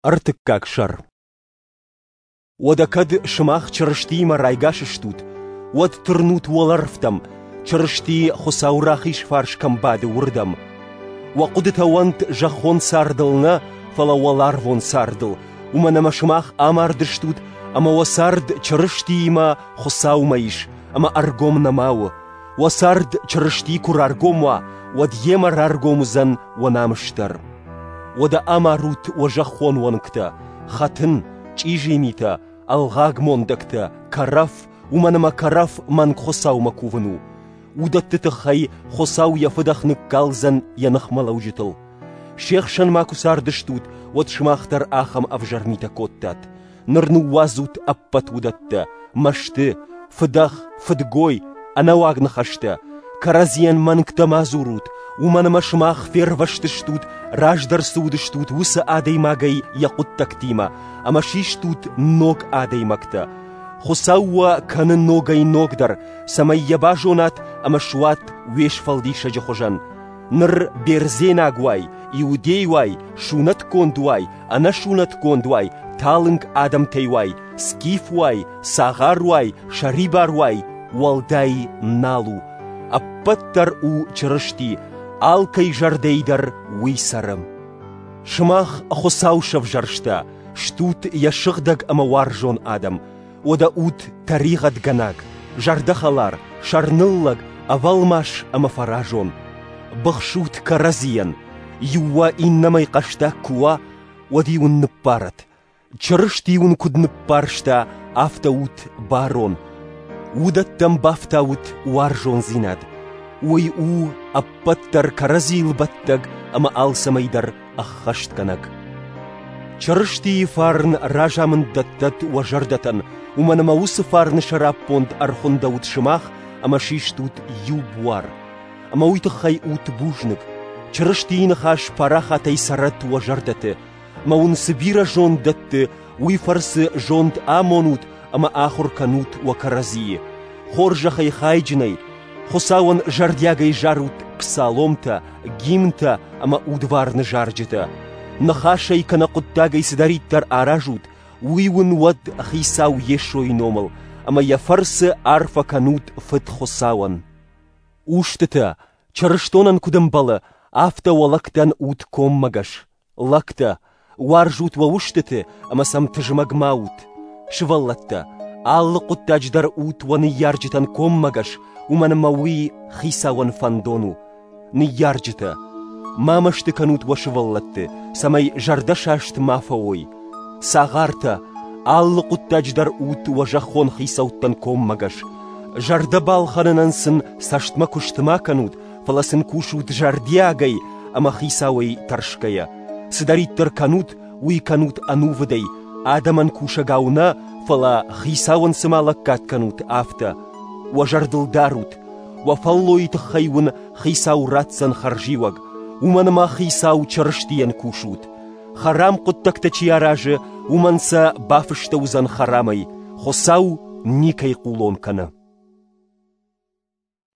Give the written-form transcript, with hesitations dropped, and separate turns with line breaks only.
Ӕртыккаг сӕр. Уӕдӕ кӕд сымах Чырыстиимӕ райгас стут, уӕд тырнут уӕлӕрвтӕм, Чырысти Хуыцауы рахиз фарс кӕм бады, уырдӕм. Уӕ хъуыдытӕ уӕнт зӕххон цардыл нӕ, фӕлӕ уӕларвон цардыл, уымӕн ӕмӕ сымах амардыстут ӕмӕ уӕ цард Чырыстиимӕ Хуыцаумӕ ис, ӕмӕ ӕргом нӕма у. Уӕ цард Чырысти куы раргом уа, уӕд йемӕ раргом уыдзӕн уӕ намыс дӕр. Уӕдӕ амарут уӕ зӕххон уӕнгтӕ, хӕтын, чъизи митӕ, ӕлгъаг мондӕгтӕ, кӕрӕф, уымӕн ӕмӕ кӕрӕф мӕнг Хуыцаумӕ кувын у. Уыдӕтты тыххӕй Хуыцау йӕ фыдӕх ныккалдзӕн йӕ ныхмӕлӕуджытыл. Се хсӕн ма куы цардыстут, уӕд сымах дӕр ахӕм ӕвзӕр митӕ кодтат. Ныр ныууадзут ӕппӕт уыдӕттӕ: мӕсты, фыдӕх, фыдгой, ӕнӕуаг ныхӕстӕ. Кӕрӕдзийӕн мӕнгтӕ ма дзурут, уымӕн ӕмӕ сымах фервӕзтыстут, раздӕр цы уыдыстут, уыцы адӕймагӕй йӕ хъуыддӕгтимӕ, ӕмӕ систут ног адӕймӕгтӕ. Хуыцау уӕ кӕны ногӕй-ногдӕр, цӕмӕй йӕ базонат ӕмӕ суат уе Сфӕлдисӕджы хуызӕн. Ныр бердзенаг уай, иудей уай, сунӕтгонд уай, ӕнӕсунӕтгонд уай, талынг адӕмтӕй уай, скиф уай, цагъар уай, сӕрибар уай, уӕлдай нал у. Ӕппӕт дӕр у Чырысти, алкӕй зӕрдӕйы дӕр уый цӕры. Сымах Хуыцау сӕвзӕрста, стут йӕ сыгъдӕг ӕмӕ уарзон адӕм. Уӕдӕ ут тӕригъӕдгӕнаг, зӕрдӕхӕлар, сӕрныллӕг, ӕвӕлмас ӕмӕ фӕразон. Быхсут кӕрӕдзийӕн, иу уӕ иннӕмӕй хъӕстаг куы уа, уӕд-иу ын ныббарӕд. Чырысти уын куыд ныббарста, афтӕ ут барон. Уыдӕттӕм бафтаут уарзондзинад. Уый у ӕппӕт дӕр кӕрӕдзийыл бӕттӕг ӕмӕ алцӕмӕй дӕр ӕххӕстгӕнӕг. Чырыстийы фарн разамынд дӕттӕд уӕ зӕрдӕтӕн, уымӕн ӕмӕ уыцы фарны сӕраппонд ӕрхуындӕуыд сымах ӕмӕ систут иу буар. Ӕмӕ уый тыххӕй ут бузныг. Чырыстийы ныхас парахатӕй цӕрӕд уӕ зӕрдӕты, ӕмӕ уын цы бирӕ зонд дӕтты, уый фӕрцы зонд амонут ӕмӕ ахуыр кӕнут уӕ кӕрӕдзийы. Хорзӕхӕй хайджынӕй, Хуыцауӕн зӕрдиагӕй зарут псаломтӕ, гимнтӕ ӕмӕ удварны зарджытӕ. Ныхасӕй кӕнӕ хъуыддагӕй цыдӕриддӕр аразут, уый уын уӕд Хицау Йесойы номыл, ӕмӕ йӕ фӕрцы арфӕ кӕнут Фыд Хуыцауӕн. Устытӕ, чырыстонӕн куыд ӕмбӕлы, афтӕ уӕ лӕгтӕн ут коммӕгӕс. Лӕгтӕ, уарзут уӕ устыты ӕмӕ сӕм тызмӕг ма ут. Сывӕллӕттӕ, алы хъуыддаджы дӕр ут уӕ ныййарджытӕн коммӕгӕс, уымӕн ӕмӕ уый Хицауӕн фӕндон у. Ныййарджытӕ, ма мӕсты кӕнут уӕ сывӕллӕтты, цӕмӕй зӕрдӕсаст ма фӕуой. Цагъартӕ, алы хъуыддаджы дӕр ут уӕ зӕххон хицӕуттӕн коммӕгӕс. Зӕрдӕ балхӕнынӕн сын цӕстмӕ куыст ма кӕнут, фӕлӕ сын кусут зӕрдиагӕй ӕмӕ хицауӕй тӕрсгӕйӕ. Цыдӕриддӕр кӕнут, уый кӕнут ӕнувыдӕй, адӕмӕн кусӕгау нӕ, фӕлӕ хицауӕн цыма лӕггад кӕнут, афтӕ. Уӕ зӕрдыл дарут, уӕ фӕллойы тыххӕй уын хицау ратдзӕн хӕрзиуӕг, уымӕн ӕмӕ хицау Чырыстийӕн кусут. Хӕрам хъуыддӕгтӕ чи аразы, уымӕн сӕ бафыстӕуыдзӕн хӕрамӕй, Хуыцау никӕй хъулон кӕны.